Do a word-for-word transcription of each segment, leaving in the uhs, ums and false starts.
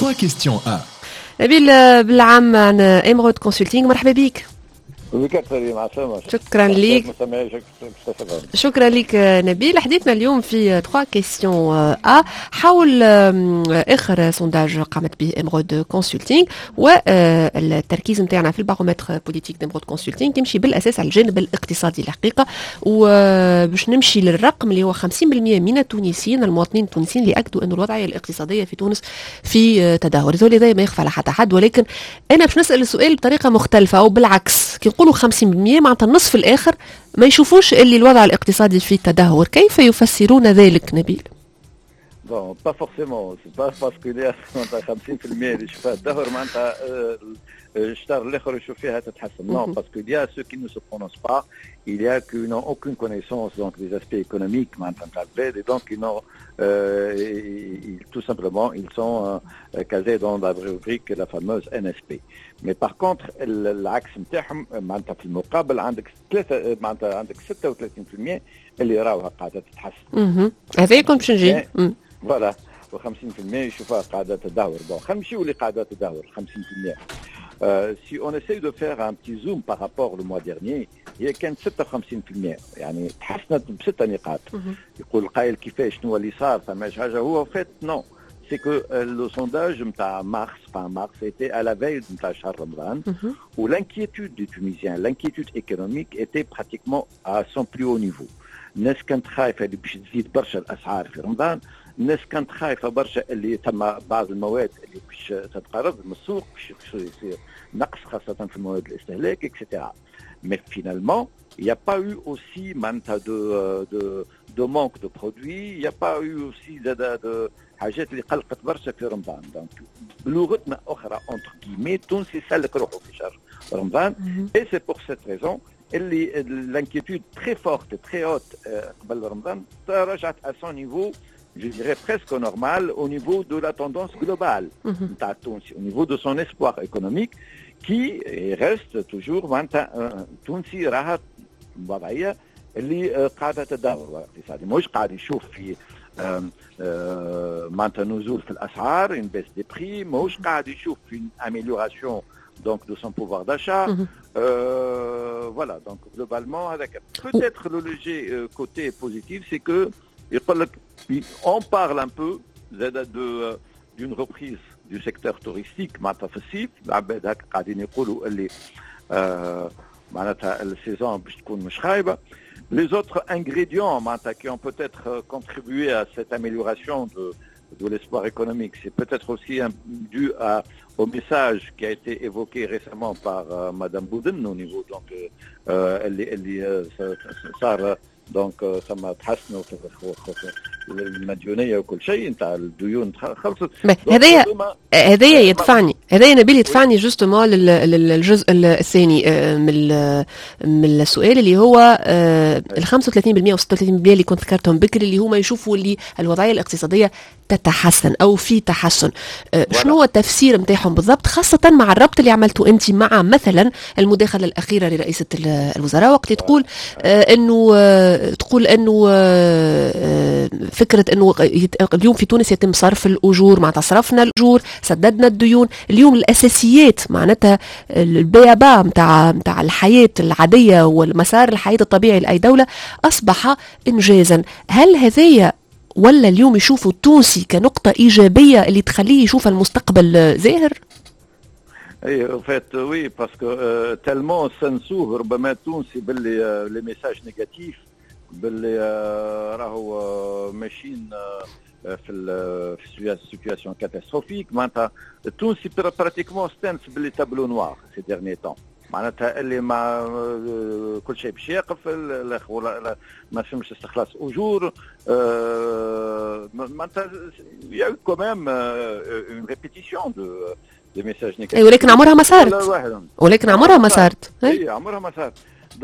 trois questions à. نبيل بالعام عن Emeraude Consulting، مرحبا بك. شكرا لك، شكرا لك نبيل. حديثنا اليوم في trois questions à حول اخر sondage قامت به Emeraude Consulting، والتركيز نتاعنا في ال baromètre politique d'Emeraude Consulting يمشي بالاساس على الجانب الاقتصادي الحقيقه. وباش نمشي للرقم اللي هو خمسين بالمية من التونسيين، المواطنين التونسيين، اللي اكدوا انه الوضعية الاقتصادية في تونس في تدهور. هذا ما يخفى على حتى حد، ولكن انا باش نسال السؤال بطريقة مختلفة او بالعكس، كي نقولوا خمسين بالمية معناتها النصف الاخر ما يشوفوش اللي الوضع الاقتصادي في تدهور، كيف يفسرون ذلك نبيل؟ bon، pas forcément، c'est pas parce que معناتها خمسين بالمية اللي يشوفها تدهور معناتها الشطر الاخر يشوف فيها تتحسن. non، parce que il y a ceux qui ne se prononcent pas، il y a qui n'ont aucune connaissance donc des aspects économiques معناتها نتاع البلاد et donc ils n'ont euh, ils, tout simplement ils sont euh, casés dans la rubrique la fameuse NSP. mais par contre العكس نتاعهم، معناتها في المقابل عندك ثلاثة، معناتها عندك ستة وثلاثين بالمية اللي راوها قاعدة تتحسن. هذا كنت باش نجي. voilà، وخمسين بالمية يشوفوها قاعدة تدهور. bon، خلينا نمشيو اللي قاعدة تدهور خمسين بالمية. Euh, si on essaye de faire un petit zoom par rapport au mois dernier، هي كانت ستة وخمسين بالمية، يعني تحسنت بستة نقاط. يقول القائل كيفاش؟ شنو اللي صار؟ فماش حاجه؟ هو en fait non، c'est que le sondage نتاع mars، fin mars، était à la veille نتاع شهر رمضان، où l'inquiétude des Tunisiens، l'inquiétude économique était pratiquement à son plus haut niveau. الناس كانت خايفة اللي باش تزيد برشا الاسعار في رمضان، الناس كانت خايفة برشا اللي ثم بعض المواد اللي باش تتقرض من السوق، باش يصير نقص خاصة في المواد الاستهلاك et cetera. mais finalement il n'y a pas eu aussi معناتها de, de, de manque de produits، il n'y a pas eu aussi de, de, de حاجات اللي قلقت برشا في رمضان. donc بلغتنا اخرى، entre guillemets، التونسي سلك روحه في شهر رمضان. et c'est pour cette raison اللي l'inquiétude très forte، très haute قبل رمضان رجعت à son niveau، je dirais presque normal au niveau de la tendance globale نتاع التونسي، au niveau de son espoir économique qui reste toujours، معناتها التونسي راها وضعية اللي قاعدة تدهور الاقتصادي، مش قاعد يشوف في معناتها نزول في الاسعار، une baisse des prix، ماهوش قاعد يشوف في amélioration donc de son pouvoir d'achat. Euh, voilà، donc globalement هذاك peut-être le léger côté positif، c'est que يقول لك on parle un peu de d'une reprise du secteur touristique معناتها في الصيف. العباد هكا قاعدين يقولوا اللي آه معناتها ال saison باش تكون مش خايبه. Les autres ingrédients معناتها qui ont peut-être contribué à cette amélioration de, de l'espoir économique, c'est peut-être aussi un, dû à, au message qui a été évoqué récemment par euh, Madame Bouden au niveau donc euh, اللي اللي صار donc ثم تحسنوا في المديونيه وكل شيء نتاع الديون خلصت. هذايا هذايا يدفعني، هذايا نبيل يدفعني justement للجزء الثاني من من السؤال، اللي هو ال خمسة وثلاثين بالمية و ستة وثلاثين بالمية اللي كنت ذكرتهم بكري، اللي هما يشوفوا اللي الوضعية الاقتصادية تتحسن او في تحسن. شنو هو التفسير نتاعهم بالضبط، خاصة مع الربط اللي عملته انت مع مثلا المداخلة الاخيرة لرئيسه الوزراء، وقت تقول انه تقول انه فكرة انه اليوم في تونس يتم صرف الاجور، معناتها صرفنا الاجور، سددنا الديون، اليوم الاساسيات، معناتها ال b.a.-ba نتاع نتاع الحياة العادية والمسار الحياة الطبيعي لاي دولة اصبح انجازا. هل هذايا ولا اليوم يشوفوا التونسي كنقطه ايجابية اللي تخليه يشوف المستقبل زاهر؟ اي en fait oui، parce que tellement سنسوه ربما التونسي باللي les messages négatifs، باللي راهو ماشيين في في situation catastrophique. معناتها التونسي pratiquement استانس ب les tableaux noirs ces derniers temps، معناتها اللي مع كل شيء باش يقف، ما فهمش استخلاص اجور، معناتها il y a quand même une répétition de des messages négatifs. ولكن عمرها ما صارت، ولكن عمرها ما صارت. اي، عمرها ما صارت.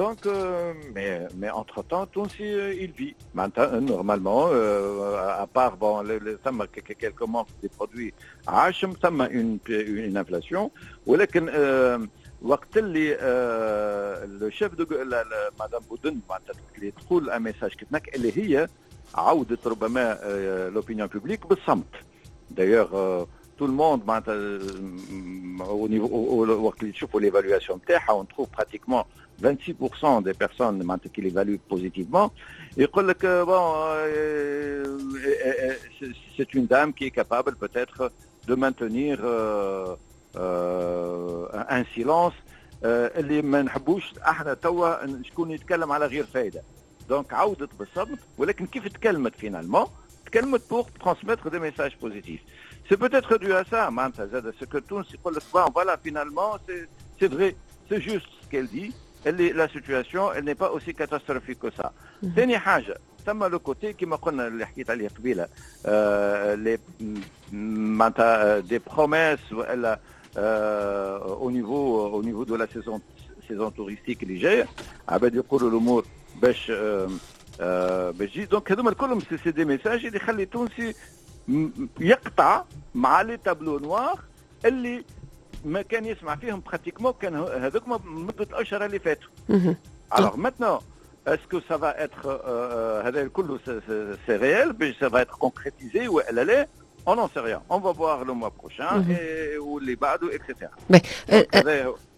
Donc, euh, mais, mais entre-temps, التونسي, il vit. Maintenant, normalement, euh, à part bon, les, les, ثم quelques manques des produits عاشم، ثم une, une inflation، ولكن euh, وقت اللي le chef de madame بودن معناتها اللي تقول un message كيف اللي هي عودت ربما l'opinion publique بالصمت d'ailleurs. tout le monde معناتها au niveau وقت اللي تشوفوا l'évaluation نتاعها، on trouve pratiquement vingt-six pour cent des personnes معناتها qui l'évaluent positivement. يقول لك bon، c'est une dame qui est capable peut-être de maintenir euh, euh, un silence اللي ما نحبوش احنا توا شكون يتكلم على غير فايده. donc عودت بالصمت، ولكن كيف تكلمت finalement تكلمت pour transmettre des messages positifs. c'est peut-être dû à ça معناتها زاد ce que تونس يقول لك bon voilà، finalement c'est c'est vrai، c'est juste ce qu'elle dit، اللي la situation elle n'est pas aussi catastrophique que ça. ثاني حاجه، ثم le côté كما قلنا اللي حكيت عليه قبيله، les معناتها des promesses والا au niveau au niveau de la saison saison touristique اللي جايه، عباد يقولوا الامور باش باش تجي. donc هذوما كلهم c'est des messages اللي يخلي التونسي يقطع مع les tableaux noirs اللي ما كان يسمع فيهم pratiquement كان هذوك مده الاشهر اللي فاتوا. alors maintenant، est-ce que ça va être هذا الكل c'est réel باش ça va être concrétisé ولا لا؟ on n'en sait rien. On va voir le mois prochain et واللي بعده et cetera.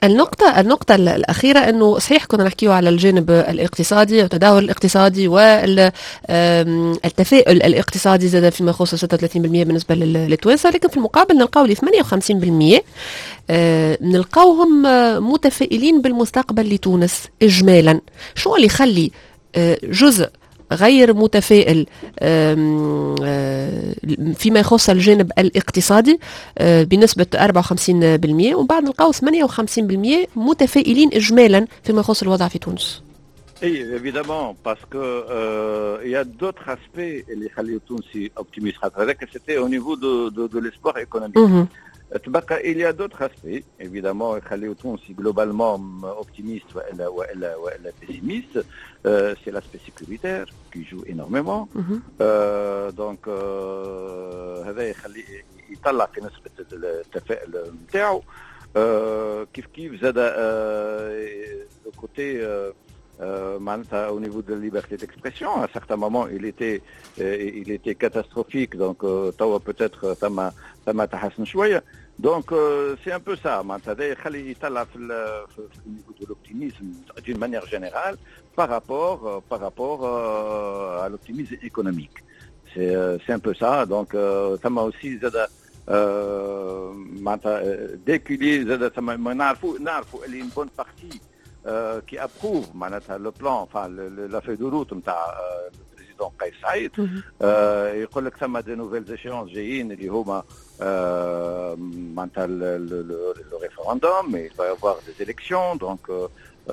النقطة النقطة الأخيرة، أنه صحيح كنا نحكيه على الجانب الاقتصادي والتدهور الاقتصادي والتفاؤل الاقتصادي زاد فيما يخص ستة وثلاثين في المية بالنسبة للتوانسة، لكن في المقابل نلقاو لي ثمانية وخمسين في المية آه، نلقاوهم متفائلين بالمستقبل لتونس إجمالا. شو اللي يخلي آه، جزء غير متفائل آه، فيما يخص الجانب الاقتصادي آه، بنسبة أربعة وخمسين في المية، ومن بعد نلقاو ثمانية وخمسين في المية متفائلين إجمالا فيما يخص الوضع في تونس؟ اي évidemment، parce que il y a d'autres aspects اللي يخليو التونسي optimiste. خاطر هذاك c'était au niveau de de, de l'espoir économique. تبقى il y a d'autres aspects évidemment يخليو التونسي globalement optimiste والا والا والا pessimiste. euh, c'est l'aspect sécuritaire qui joue énormément. mm -hmm. euh, donc euh, هذا يخلي يطلع في نسبة التفاؤل نتاعو. كيف كيف زاد le côté معناتها au niveau de la liberté d'expression، à certains moments il était il était catastrophique، donc توا peut-être ثم ثم تحسن شويه. donc c'est un peu ça معناتها، هذا يخلي يطلع في في niveau de l'optimisme d'une manière générale par rapport par rapport à l'optimisme économique. c'est c'est un peu ça. donc ثم aussi زاد معناتها dès qu'il زاد ثم ما نعرفوا نعرفوا اللي une bonne partie qui approuve معناتها le plan، enfin la feuille de route نتاع ال président قيس سعيد. يقول لك ثم des nouvelles échéances جايين اللي هما معناتها le référendum، il va y avoir des élections. donc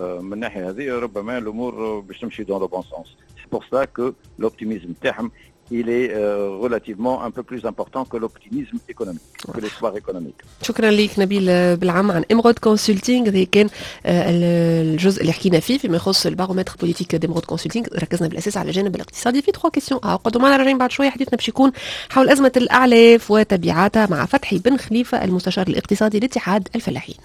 من الناحية هذه ربما الامور باش تمشي dans le bon sens. c'est pour ça que l'optimisme تاعهم il est euh, relativement un peu plus important que l'optimisme économique, que l'espoir économique. شكرا لك نبيل بالعم عن Emrhod Consulting. هذا كان الجزء اللي حكينا فيه فيما يخص ال baromètre politique d'Emrhod Consulting، ركزنا بالاساس على الجانب الاقتصادي في trois questions. قعدوا معنا، راجعين بعد شويه، حديثنا باش يكون حول ازمة الاعلاف وتبعاتها مع فتحي بن خليفه، المستشار الاقتصادي لاتحاد الفلاحين.